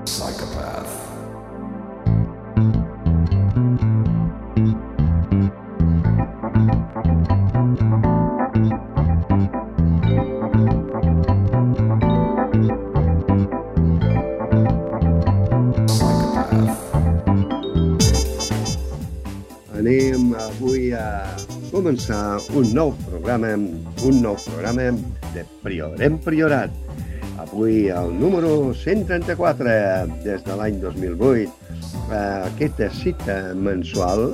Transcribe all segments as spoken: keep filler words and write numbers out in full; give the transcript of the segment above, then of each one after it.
Psychopath. Anem avui a començar un nou programa, un nou programa de Priorem Priorat. Avui el número cent trenta-quatre des de l'any dos mil vuit. Aquesta cita mensual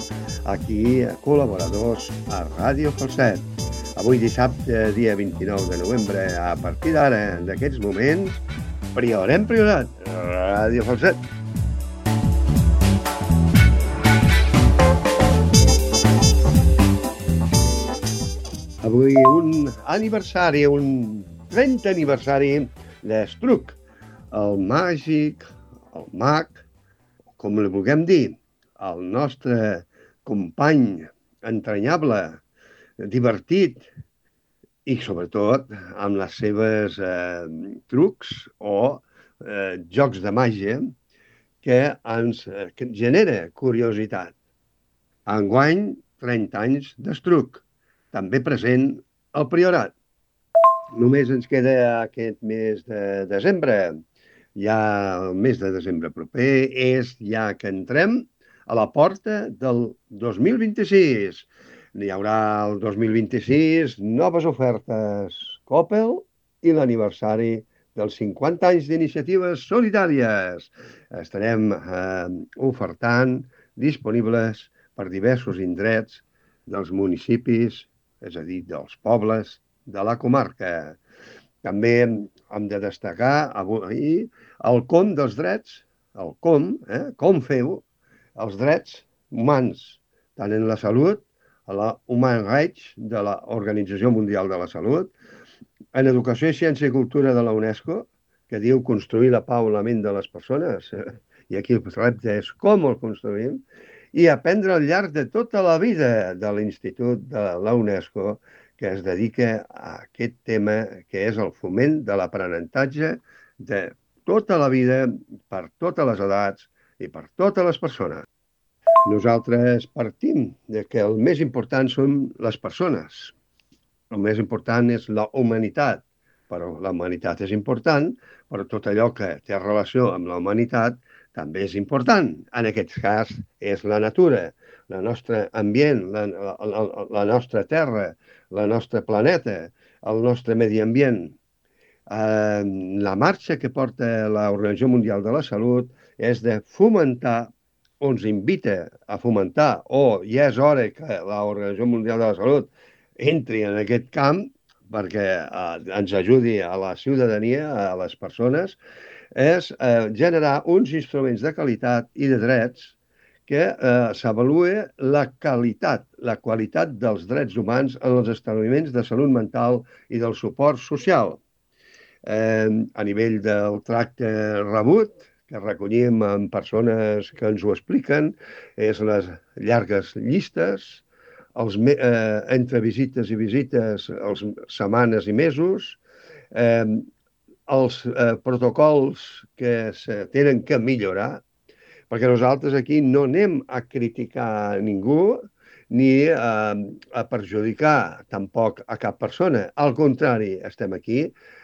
aquí, col·laboradors a Ràdio Falset. Avui dissabte, dia vint-i-nou de novembre, a partir d'ara, d'aquests moments, Priorem Priorat, Ràdio Falset. Avui un aniversari, un trentè aniversari d'Estruc, el màgic, el mag, com li vulguem dir, el nostre company entranyable, divertit i, sobretot, amb les seves eh, trucs o eh, jocs de màgia que ens eh, que genera curiositat. Enguany, trenta anys d'Estruc, també present al Priorat. Només ens queda aquest mes de desembre. Ja el mes de desembre proper és ja que entrem a la porta del dos mil vint-i-sis. Hi haurà el dos mil vint-i-sis noves ofertes Coppel i l'aniversari dels cinquanta anys d'iniciatives solidàries. Estarem eh, ofertant disponibles per diversos indrets dels municipis, és a dir, dels pobles de la comarca. També hem de destacar avui el com dels drets, el com, eh, com feu els drets humans, tant en la salut, a la Human Rights de l'Organització Mundial de la Salut, en Educació, Ciència i Cultura de la UNESCO, que diu construir la pau en la ment de les persones, i aquí el repte és com el construïm, i aprendre al llarg de tota la vida de l'Institut de la UNESCO, que es dedica a aquest tema, que és el foment de l'aprenentatge de tota la vida, per totes les edats i per totes les persones. Nosaltres partim de que el més important són les persones. El més important és la humanitat, però la humanitat és important, però tot allò que té relació amb la humanitat també és important. En aquest cas és la natura, el nostre ambient, la, la, la nostra terra, el nostre planeta, el nostre medi ambient. Eh, la marxa que porta l'Organització Mundial de la Salut és de fomentar, o ens invita a fomentar, o ja és hora que l'Organització Mundial de la Salut entri en aquest camp perquè eh, ens ajudi a la ciutadania, a les persones, és eh, generar uns instruments de qualitat i de drets que eh, s'avalue la qualitat, la qualitat dels drets humans en els establiments de salut mental i del suport social. Eh, a nivell del tracte rebut, que recollim amb persones que ens ho expliquen, és les llargues llistes, els, eh, entre visites i visites, els setmanes i mesos, eh, els eh, protocols que se tenen que millorar, perquè nosaltres aquí no anem a criticar a ningú ni a, a perjudicar tampoc a cap persona. Al contrari, estem aquí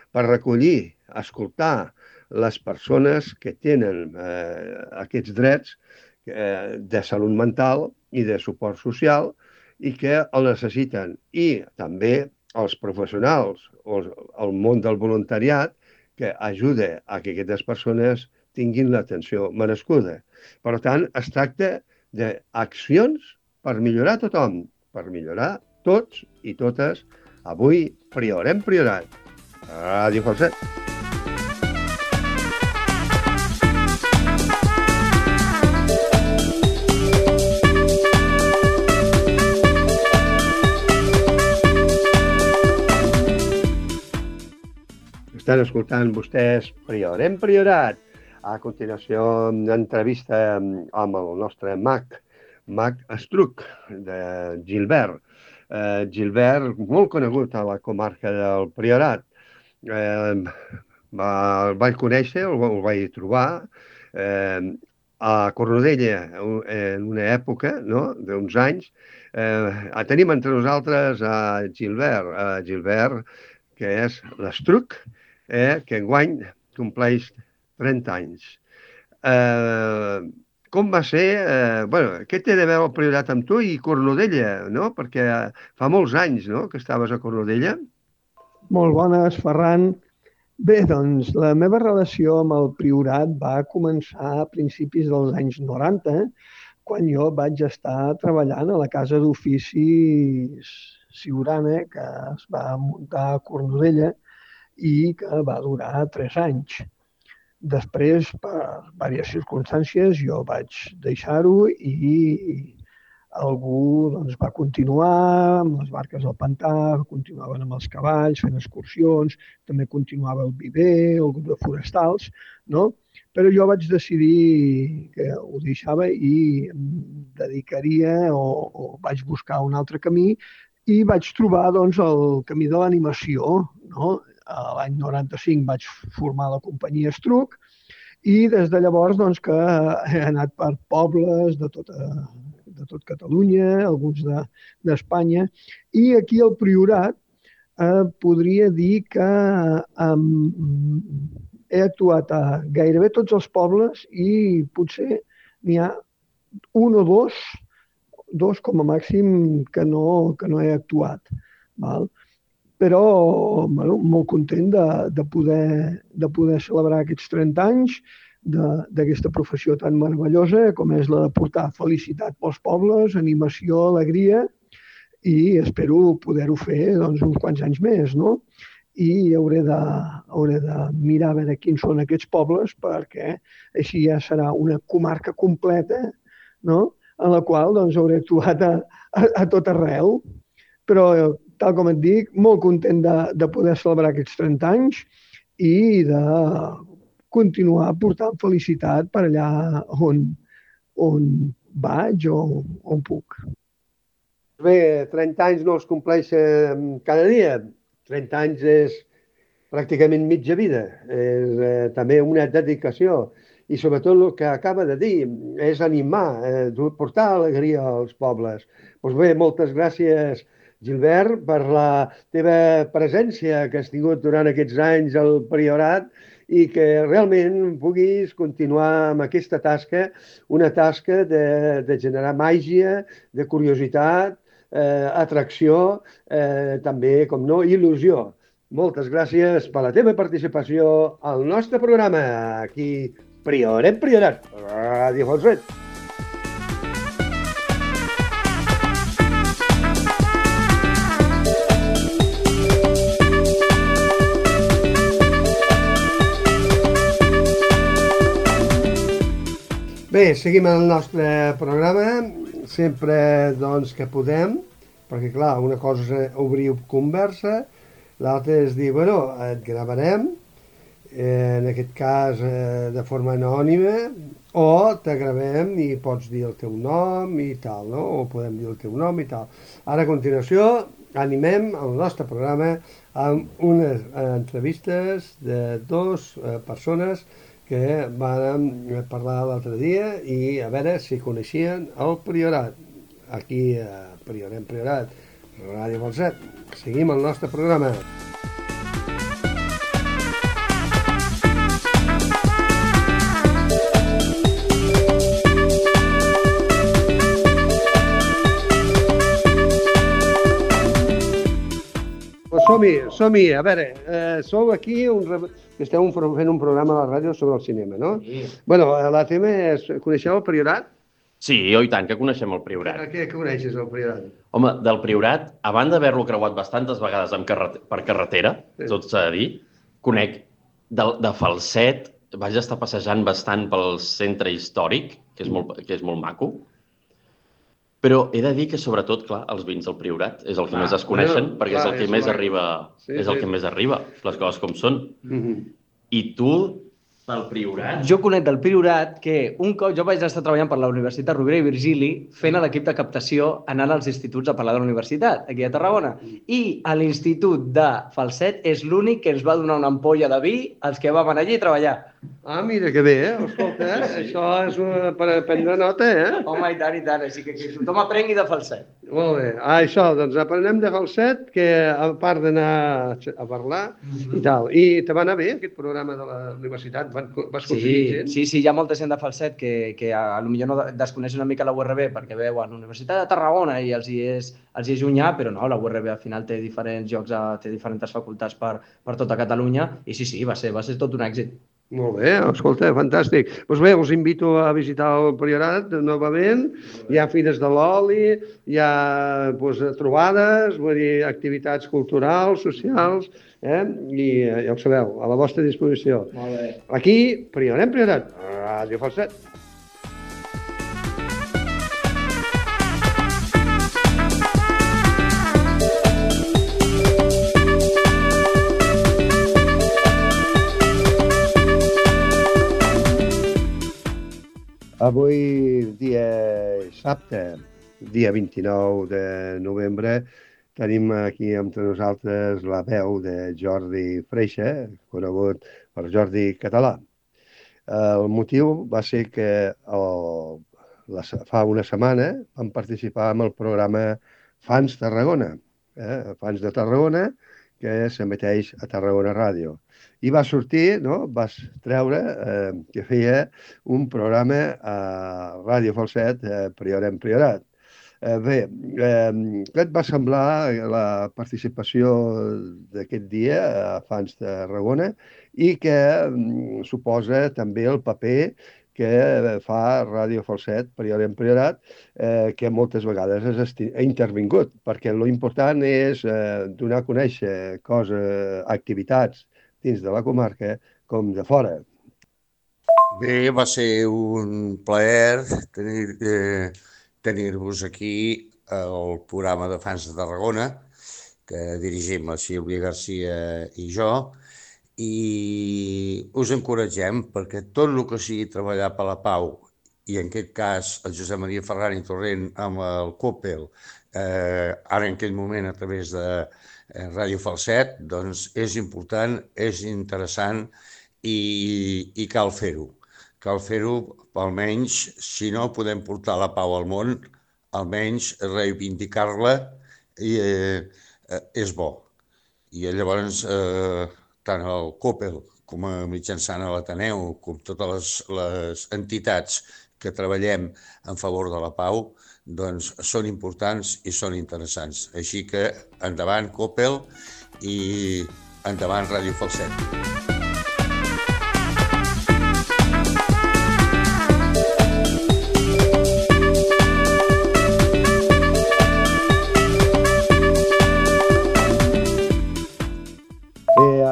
per recollir, escoltar les persones que tenen eh, aquests drets eh, de salut mental i de suport social i que el necessiten. I també els professionals o el món del voluntariat que ajuda a que aquestes persones tinguin l'atenció merescuda. Per tant, es tracta d'accions per millorar tothom, per millorar tots i totes. Avui, Priorem Priorat. Ràdio Falset. Estan escoltant vostès Priorem Priorat. A continuació, una entrevista amb el nostre mag, mag Estruc, de Gilbert. Eh, Gilbert, molt conegut a la comarca del Priorat. Eh, va, el vaig conèixer, el, el vaig trobar, Eh, a Cornudella, en una època, no?, d'uns anys, eh, tenim entre nosaltres a Gilbert, a Gilbert, que és l'Estruc, eh, que enguany compleix trenta anys. Eh, com va ser... Eh, bueno, què té de veure el Priorat amb tu i Cornudella, no? Perquè fa molts anys, no?, que estaves a Cornudella. Molt bones, Ferran. Bé, doncs, la meva relació amb el Priorat va començar a principis dels anys noranta, quan jo vaig estar treballant a la Casa d'Oficis Siurana, que es va muntar a Cornudella i que va durar tres anys. Després, per diverses circumstàncies, jo vaig deixar-ho i algú doncs, va continuar amb les barques del pantà, continuaven amb els cavalls, fent excursions, també continuava el viver, el grup de forestals, no? Però jo vaig decidir que ho deixava i em dedicaria o, o vaig buscar un altre camí i vaig trobar doncs, el camí de l'animació, no? L'any noranta-cinc vaig formar la companyia Estruc i des de llavors doncs, que he anat per pobles de tota de tot Catalunya, alguns d'Espanya, de, i aquí al Priorat eh, podria dir que eh, he actuat a gairebé tots els pobles i potser n'hi ha un o dos, dos com a màxim que no, que no he actuat. Val? Però bueno, molt content de, de, poder, de poder celebrar aquests trenta anys d'aquesta professió tan meravellosa com és la de portar felicitat pels pobles, animació, alegria i espero poder-ho fer doncs, uns quants anys més, no? I hauré de, hauré de mirar a veure quins són aquests pobles perquè així ja serà una comarca completa, no? En la qual doncs, hauré actuat a, a, a tot arreu. Però, tal com et dic, molt content de, de poder celebrar aquests trenta anys i de continuar portant felicitat per allà on, on vaig o on puc. Bé, trenta anys no els compleix cada dia. trenta anys és pràcticament mitja vida. És eh, també una dedicació. I sobretot el que acaba de dir és animar, eh, portar alegria als pobles. Doncs bé, moltes gràcies, Gilbert, per la teva presència que has tingut durant aquests anys al Priorat i que realment puguis continuar amb aquesta tasca, una tasca de, de generar màgia, de curiositat, eh, atracció, eh, també, com no, il·lusió. Moltes gràcies per la teva participació al nostre programa, aquí, Prioret Priorat, Ràdio Falset. Bé, seguim el nostre programa, sempre doncs, que podem, perquè clar, una cosa és obrir conversa, l'altra és dir, bueno, et gravarem, eh, en aquest cas eh, de forma anònima, o te gravem i pots dir el teu nom i tal, no? O podem dir el teu nom i tal. Ara, a continuació, animem el nostre programa amb unes entrevistes de dues eh, persones que vam parlar l'altre dia i a veure si coneixien el Priorat. Aquí a Prioret Priorat, Ràdio Falset. Seguim el nostre programa. Som-hi, som-hi. A veure, eh, sou aquí, un, que esteu un, fent un programa a la ràdio sobre el cinema, no? Sí. Bueno, la tema és, coneixeu el Priorat? Sí, oh, i tant, que coneixem el Priorat. Què coneixes, el Priorat? Home, del Priorat, a banda d'haver-lo creuat bastantes vegades amb carret per carretera, sí. Tot s'ha de dir, conec de, de Falset, vaig estar passejant bastant pel centre històric, que és molt, que és molt maco, però he de dir que, sobretot, clar, els vins del Priorat és el que ah, més es coneixen, bueno, perquè clar, és el que és més arriba, sí, és el sí. que més arriba, les coses com són. Mm-hmm. I tu, del Priorat? Jo conec del Priorat que un cop jo vaig estar treballant per la Universitat Rovira i Virgili fent a l'equip de captació anant als instituts a parlar de la universitat, aquí a Tarragona. I a l'institut de Falset és l'únic que ens va donar una ampolla de vi als que vam anar allí a treballar. Ah, mira que bé, eh? Escolta, eh? Això és una, per prendre nota, eh? Home, i tant, i tant. Així que, que tothom aprengui de falset. Molt bé. Ah, això, doncs aprenem de falset, que a part d'anar a parlar Mhm. i tal. I te va anar bé aquest programa de la universitat? Van- Vas aconseguir Sí, gent? sí, sí, hi ha molta gent de falset que, que a, a lo millor no de- desconeix una mica la U R B perquè veuen Universitat de Tarragona i els hi és, els hi és llunyà, però no, la U R B al final té diferents llocs, a, té diferents facultats per, per tota Catalunya i sí, sí, va ser, va ser tot un èxit. Molt bé, escolta, fantàstic. Doncs bé, us invito a visitar el Priorat novament. Hi ha fires de l'oli, hi ha doncs, trobades, vull dir, activitats culturals, socials, eh? I eh, ja ho sabeu, a la vostra disposició. Molt bé. Aquí, Priorem Priorat, Ràdio Falset. Avui, dia dissabte, dia vint-i-nou de novembre, tenim aquí amb nosaltres la veu de Jordi Freixa, conegut per Jordi Català. El motiu va ser que el, la, fa una setmana vam participar en el programa Fans Tarragona, eh? Fans de Tarragona, que s'emeteix a Tarragona Ràdio. I va sortir, no? Vas treure eh, que feia un programa a Ràdio Falset, eh, Priorem Priorat. Eh, bé, eh, què et va semblar la participació d'aquest dia a Fans de Tarragona i que mm, suposa també el paper que fa Ràdio Falset, Priorem Priorat, eh, que moltes vegades has esti- ha intervingut, perquè lo important és eh, donar a conèixer coses, activitats dins de la comarca com de fora. Bé, va ser un plaer tenir, eh, tenir-vos aquí al programa de Fans de Tarragona, que dirigim la Sílvia Garcia i jo, i us encoratgem perquè tot el que sigui treballar per la pau, i en aquest cas el Josep Maria Ferran i Torrent amb el Coppel, eh, ara en aquest moment a través de eh, Ràdio Falset, doncs és important, és interessant i, i cal fer-ho. Cal fer-ho, almenys, si no podem portar la pau al món, almenys reivindicar-la i, eh, eh, és bo. I llavors, eh, tant el Coppel com a mitjançant a l'Ateneu, com totes les, les entitats que treballem en favor de la pau, doncs són importants i són interessants. Així que endavant Coppel i endavant Ràdio Falset.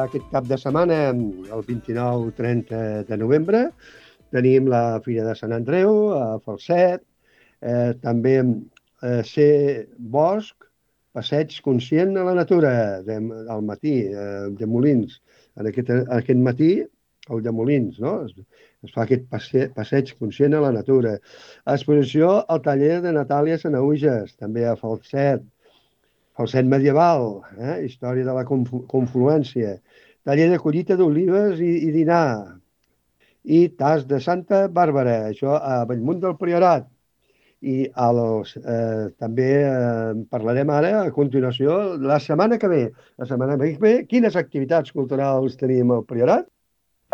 Aquest cap de setmana, el vint-i-nou trenta de novembre, tenim la Fira de Sant Andreu a Falset, eh, també eh, ser bosc, passeig conscient a la natura, de, al matí, eh, de Molins. En aquest, aquest matí, el de Molins, no? Es, es fa aquest passe, passeig conscient a la natura. Exposició al taller de Natàlia Sanahuges, també a Falset. Falset medieval, eh? Història de la conflu confluència, taller de collita d'olives i, i dinar, i tas de Santa Bàrbara, això a Bellmunt del Priorat. I els, eh, també eh, parlarem ara, a continuació, la setmana que ve. La setmana que ve, quines activitats culturals tenim al Priorat?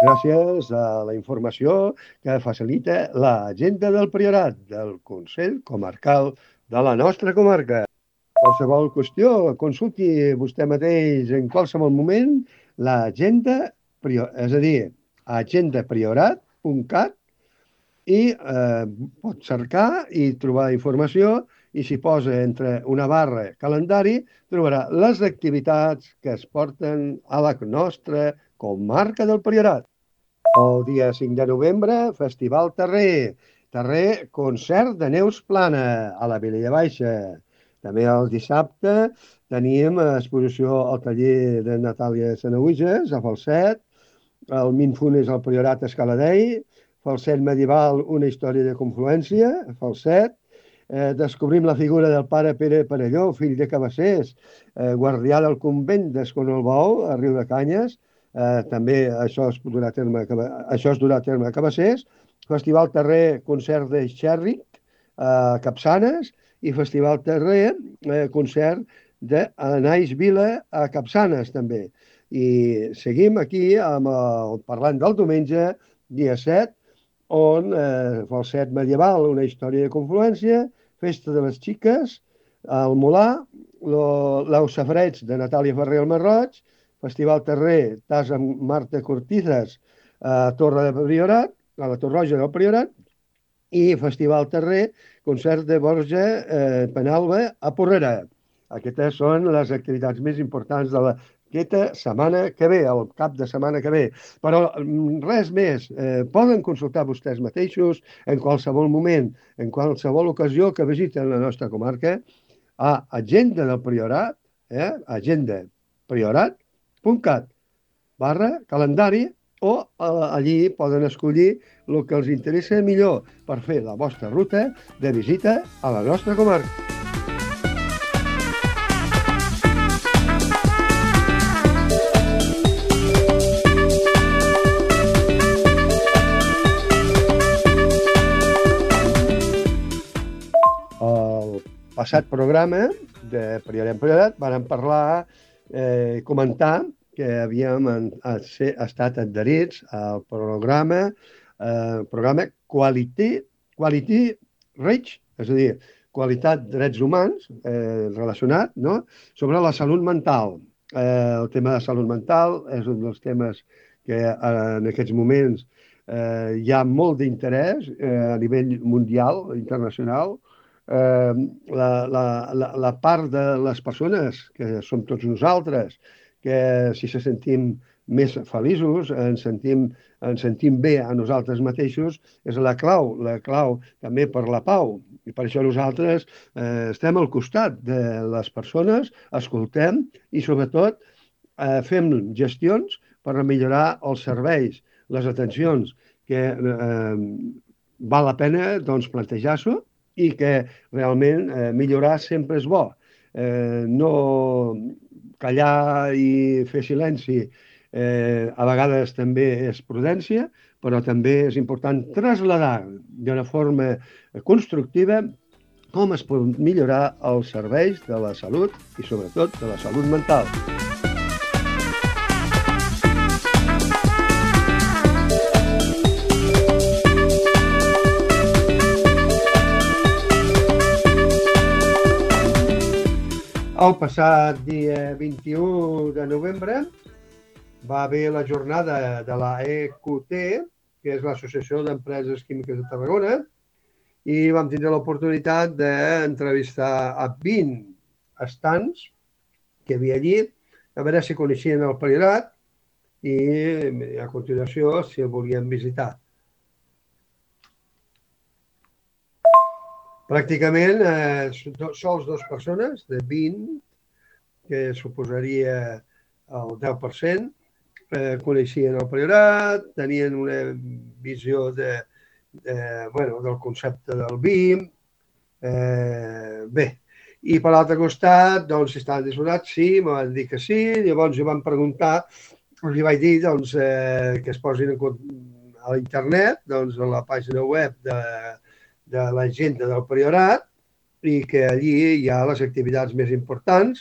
Gràcies a la informació que facilita l'agenda del Priorat, del Consell Comarcal de la nostra comarca. Qualsevol qüestió, consulti vostè mateix en qualsevol moment l'agenda, és a dir, agenda priorat punt cat i eh, pot cercar i trobar informació i si posa entre una barra calendari trobarà les activitats que es porten a la nostra comarca del Priorat. El dia cinc de novembre, Festival Terrer, Terrer concert de Neus Plana a la Vilella Baixa. També el dissabte tenim exposició al taller de Natàlia Sanahuges a Falset, el Mindfulness al Priorat Escaladei, Falset medieval, una història de confluència, Falset, eh, descobrim la figura del pare Pere Parelló, fill de Cabassers, eh, guardià del convent d'Escornalbou, a Riu de Canyes, eh, també això es durà a terme, això es durà a terme a Cabassers, Festival Terrer, concert de Xèrric, a Capçanes, i Festival Terrer, eh, concert d'Anais Vila a Capçanes, també. I seguim aquí amb el parlant del diumenge, dia set, on eh, Falset Medieval, una història de confluència, Festa de les Xiques, el Molà, l'Au Safareig de Natàlia Ferrer al Marroig, Festival Terrer, Tas amb Marta Cortizas a Torre de Priorat, a la Torroja del Priorat, i Festival Terrer, concert de Borja eh, Penalba a Porrera. Aquestes són les activitats més importants de aquesta setmana que ve, el cap de setmana que ve. Però res més, eh, poden consultar vostès mateixos en qualsevol moment, en qualsevol ocasió que visiten la nostra comarca, a Agenda del Priorat, eh, agenda priorat punt cat barra calendari, o allí poden escollir el que els interessa millor per fer la vostra ruta de visita a la nostra comarca. El passat programa de Priorat en Priorat vàrem parlar, eh, comentar que havíem estat adherits al programa, eh, programa Quality, Quality Reach, és a dir, qualitat drets humans eh, relacionat, no?, sobre la salut mental. Eh, el tema de salut mental és un dels temes que eh, en aquests moments eh, hi ha molt d'interès eh, a nivell mundial, internacional. Eh, la, la, la, la part de les persones, que som tots nosaltres, que si se sentim més feliços, ens sentim, ens sentim bé a nosaltres mateixos, és la clau, la clau també per la pau. I per això nosaltres eh, estem al costat de les persones, escoltem i sobretot eh, fem gestions per millorar els serveis, les atencions, que eh, val la pena doncs, plantejar-s'ho i que realment eh, millorar sempre és bo. Eh, no callar i fer silenci eh, a vegades també és prudència, però també és important traslladar d'una forma constructiva com es pot millorar els serveis de la salut i sobretot de la salut mental. El passat dia vint-i-u de novembre va haver la jornada de la E Q T, que és l'Associació d'Empreses Químiques de Tarragona, i vam tindre l'oportunitat d'entrevistar a vint estants que hi havia allí, a veure si coneixien el Priorat i a continuació si el volien visitar. Pràcticament eh, sols dues persones, de vint, que suposaria el deu per cent, eh, coneixien el Priorat, tenien una visió de, de, bueno, del concepte del vi. Eh, bé, i per l'altre costat, doncs, si estaven disposats, sí, em van dir que sí, llavors jo van preguntar, els vaig dir doncs, eh, que es posin a l'internet, doncs, a la pàgina web de de l'agenda del Priorat i que allí hi ha les activitats més importants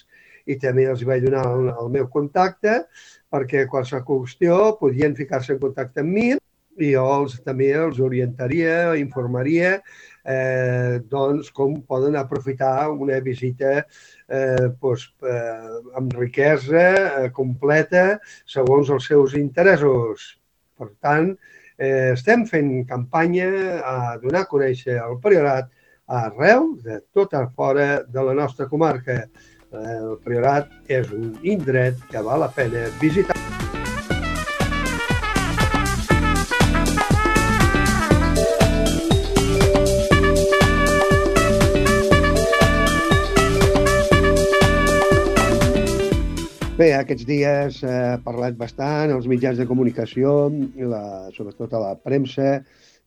i també els vaig donar el, el meu contacte perquè qualsevol qüestió podien ficar-se en contacte amb mi i jo els, també els orientaria, informaria eh, doncs, com poden aprofitar una visita eh, doncs, eh, amb riquesa eh, completa segons els seus interessos. Per tant, Eh, estem fent campanya a donar a conèixer el Priorat arreu de tot fora de la nostra comarca. El Priorat és un indret que val la pena visitar. Bé, aquests dies he parlat bastant als mitjans de comunicació, la, sobretot a la premsa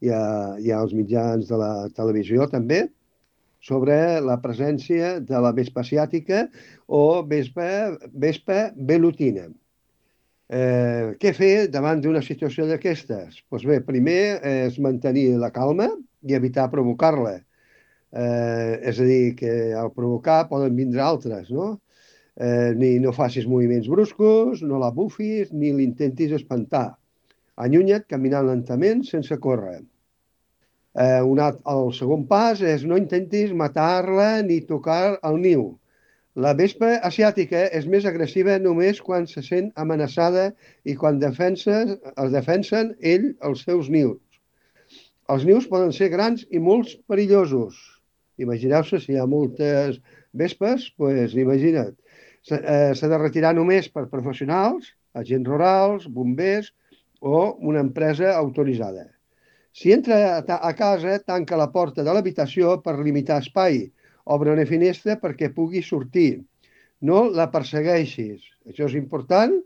i, a, i als mitjans de la televisió també, sobre la presència de la vespa asiàtica o vespa, vespa velutina. Eh, què fer davant d'una situació d'aquestes? Doncs bé, primer és mantenir la calma i evitar provocar-la. Eh, és a dir, que al provocar poden vindre altres, no? Eh, ni no facis moviments bruscos, no la bufis, ni l'intentis espantar. Allunya't caminant lentament sense córrer. Eh, un alt, el segon pas és no intentis matar-la ni tocar el niu. La vespa asiàtica és més agressiva només quan se sent amenaçada i quan defensa, es defensen ell els seus nius. Els nius poden ser grans i molt perillosos. Imagineu-se, si hi ha moltes vespes, doncs imagina't. S'ha de retirar només per professionals, agents rurals, bombers o una empresa autoritzada. Si entra a casa, tanca la porta de l'habitació per limitar espai. Obre una finestra perquè pugui sortir. No la persegueixis. Això és important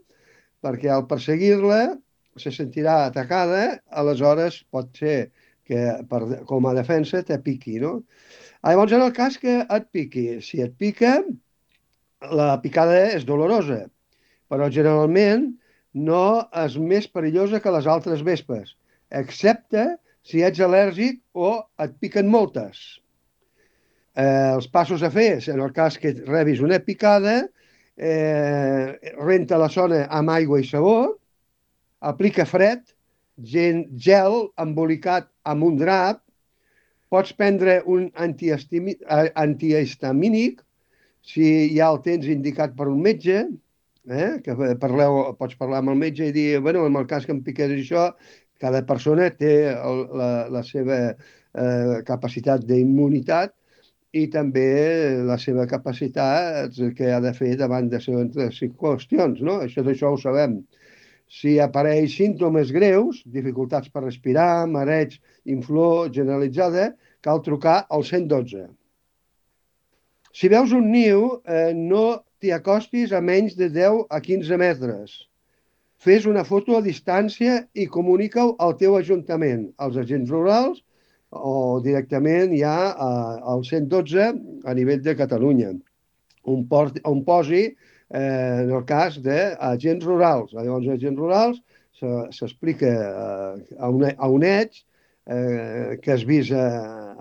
perquè al perseguir-la se sentirà atacada, aleshores pot ser que per, com a defensa te piqui, no? Llavors, en el cas que et piqui, si et pica, la picada és dolorosa, però generalment no és més perillosa que les altres vespes, excepte si ets al·lèrgic o et piquen moltes. Eh, els passos a fer, en el cas que rebis una picada, eh, renta la zona amb aigua i sabó, aplica fred, gel embolicat amb un drap, pots prendre un antihistamínic, si ja el tens indicat per un metge, eh, que parleu, pots parlar amb el metge i dir, bueno, en el cas que em piqués això, cada persona té el, la, la seva eh, capacitat d'immunitat i també la seva capacitat que ha de fer davant de les qüestions, no? Això d'això ho sabem. Si apareix símptomes greus, dificultats per respirar, mareig, inflor generalitzada, cal trucar al cent dotze. Si veus un niu, eh, no t'hi acostis a menys de deu a quinze metres. Fes una foto a distància i comunica-ho al teu ajuntament, als agents rurals o directament ja al cent dotze a nivell de Catalunya, on, port, on posi eh, en el cas d'agents rurals. Llavors, agents rurals s'explica eh, a, un, a un edge eh, que es visa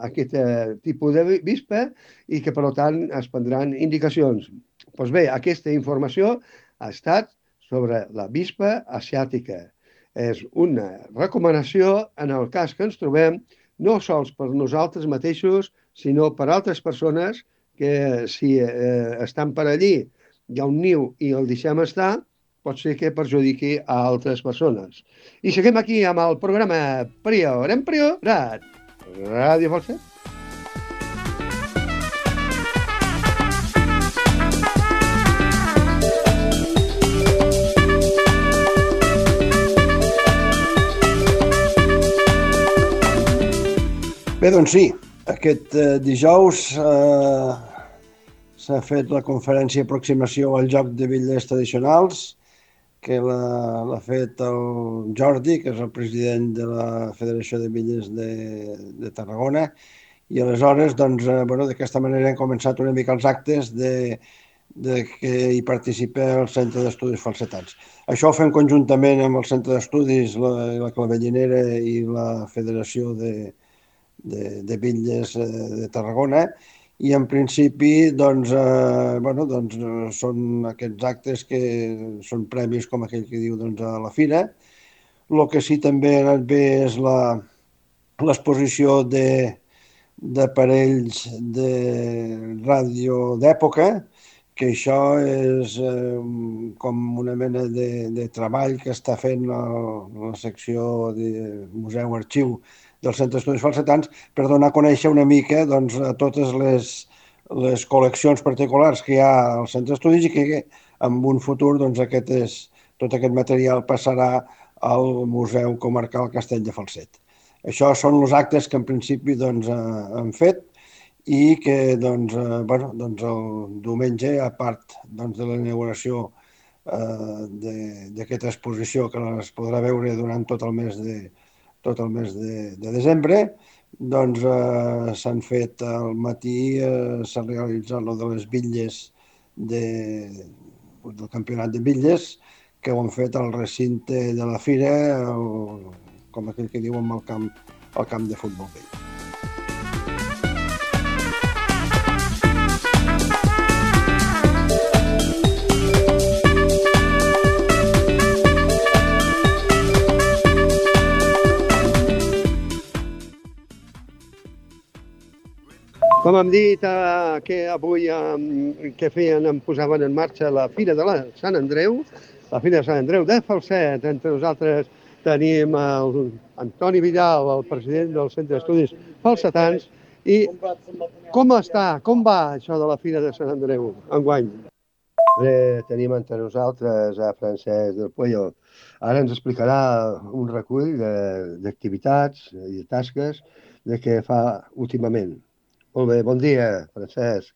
aquest tipus de vispa i que, per tant, es prendran indicacions. Doncs bé, aquesta informació ha estat sobre la vispa asiàtica. És una recomanació en el cas que ens trobem, no sols per nosaltres mateixos, sinó per altres persones que si eh, estan per allí, hi ha un niu i el deixem estar, pot ser que perjudiqui a altres persones. I seguim aquí amb el programa Prior en Priorat, Ràdio Falset. Bé, doncs sí, aquest eh, dijous eh, s'ha fet la conferència d'aproximació al Joc de Bitlles Tradicionals, que l'ha fet el Jordi, que és el president de la Federació de Bitlles de, de Tarragona, i aleshores, doncs, eh, bueno, d'aquesta manera hem començat una mica els actes de, de que hi participa el Centre d'Estudis Falsetats. Això ho fem conjuntament amb el Centre d'Estudis, la, la Clavellinera i la Federació de de, de bitlles de Tarragona i en principi doncs, eh, bueno, doncs, són aquests actes que són premis com aquell que diu doncs, a la fira. El que sí també ha anat bé és l'exposició d'aparells de, de ràdio d'època, que això és eh, com una mena de, de treball que està fent la, la secció de Museu-Arxiu del Centre d'Estudis Falsetans per donar a conèixer una mica doncs, a totes les, les col·leccions particulars que hi ha al Centre d'Estudis i que en un futur doncs, aquest és, tot aquest material passarà al Museu Comarcal Castell de Falset. Això són els actes que en principi doncs, han fet i que doncs, eh, bueno, doncs el diumenge, a part doncs, de la inauguració eh, d'aquesta exposició que es podrà veure durant tot el mes de, tot el mes de, de desembre, doncs eh, s'han fet al matí, eh, s'ha realitzat lo de les bitlles de, del campionat de bitlles, que ho han fet al recinte de la fira, el, com aquell que diuen al camp, al camp de futbol vell. Com hem dit, eh, que avui eh, que feien, em posaven en marxa la Fira de la Sant Andreu, la Fira de Sant Andreu de Falset. Entre nosaltres tenim el Antoni Vidal, el president del Centre d'Estudis Falsetans. I com està, com va això de la Fira de Sant Andreu enguany? Bé, tenim entre nosaltres a Francesc del Puello. Ara ens explicarà un recull d'activitats i de tasques de què fa últimament. Molt bé, bon dia, Francesc.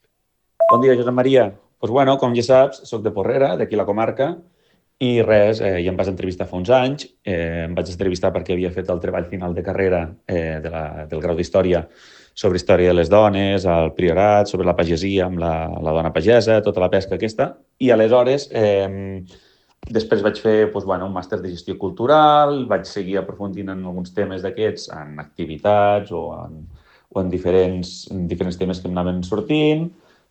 Bon dia, Josep Maria. Doncs bueno, com ja saps, soc de Porrera, d'aquí a la comarca, i res, eh, ja em vas entrevistar fa uns anys. Eh, em vaig entrevistar perquè havia fet el treball final de carrera eh, de la, del grau d'Història sobre història de les dones, el priorat, sobre la pagesia amb la, la dona pagesa, tota la pesca aquesta. I aleshores, eh, després vaig fer doncs, bueno, un màster de gestió cultural, vaig seguir aprofundint en alguns temes d'aquests, en activitats o en o en diferents, en diferents temes que m'anaven sortint.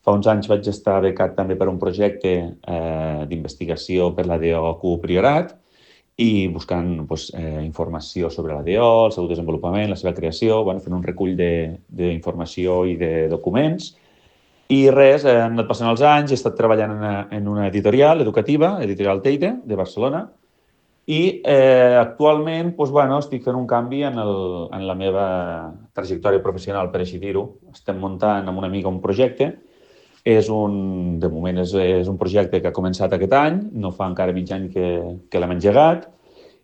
Fa uns anys vaig estar becat també per un projecte eh, d'investigació per la D O Q Priorat i buscant doncs, eh, informació sobre la D O, el seu desenvolupament, la seva creació, bueno, fent un recull d'informació i de documents. I res, eh, han anat passant els anys, he estat treballant en una, en una editorial educativa, Editorial Teide, de Barcelona, i eh, actualment doncs, bueno, estic fent un canvi en, el, en la meva trajectòria professional, per així dir-ho. Estem muntant amb una amiga un projecte. És un, de moment és, és un projecte que ha començat aquest any, no fa encara mig any que, que l'hem engegat.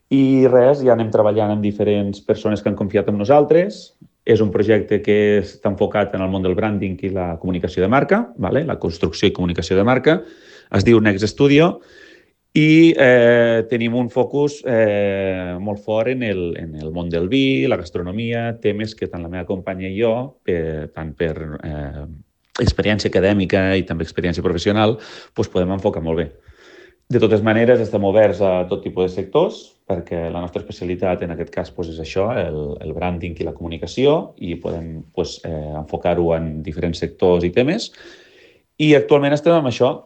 I res, ja anem treballant amb diferents persones que han confiat en nosaltres. És un projecte que està enfocat en el món del branding i la comunicació de marca, vale? La construcció i comunicació de marca. Es diu Next Studio. I eh, tenim un focus eh, molt fort en el, en el món del vi, la gastronomia, temes que tant la meva companya i jo, per, tant per eh, experiència acadèmica i també experiència professional, doncs podem enfocar molt bé. De totes maneres, estem oberts a tot tipus de sectors, perquè la nostra especialitat en aquest cas doncs, és això, el, el branding i la comunicació, i podem doncs, eh, enfocar-ho en diferents sectors i temes. I actualment estem amb això.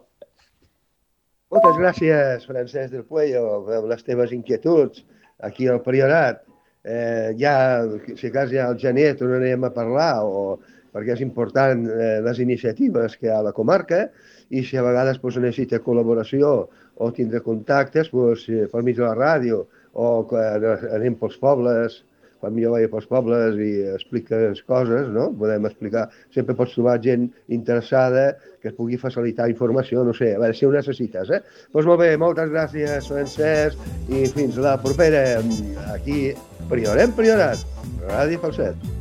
Moltes gràcies, Francesc del Puello, amb les teves inquietuds aquí al Priorat. Eh, ja, si cas ja al gener tornarem a parlar, o, perquè és important eh, les iniciatives que hi ha a la comarca, i si a vegades pues, necessita col·laboració o tindre contactes pues, per mig de la ràdio, o quan anem pels pobles, quan jo vaig pels pobles i expliques coses, no? Podem explicar, sempre pots trobar gent interessada que es pugui facilitar informació, no sé, a veure si ho necessites, eh? Doncs molt bé, moltes gràcies, Francesc, i fins la propera, aquí, Priorem Priorat, Ràdio Falset.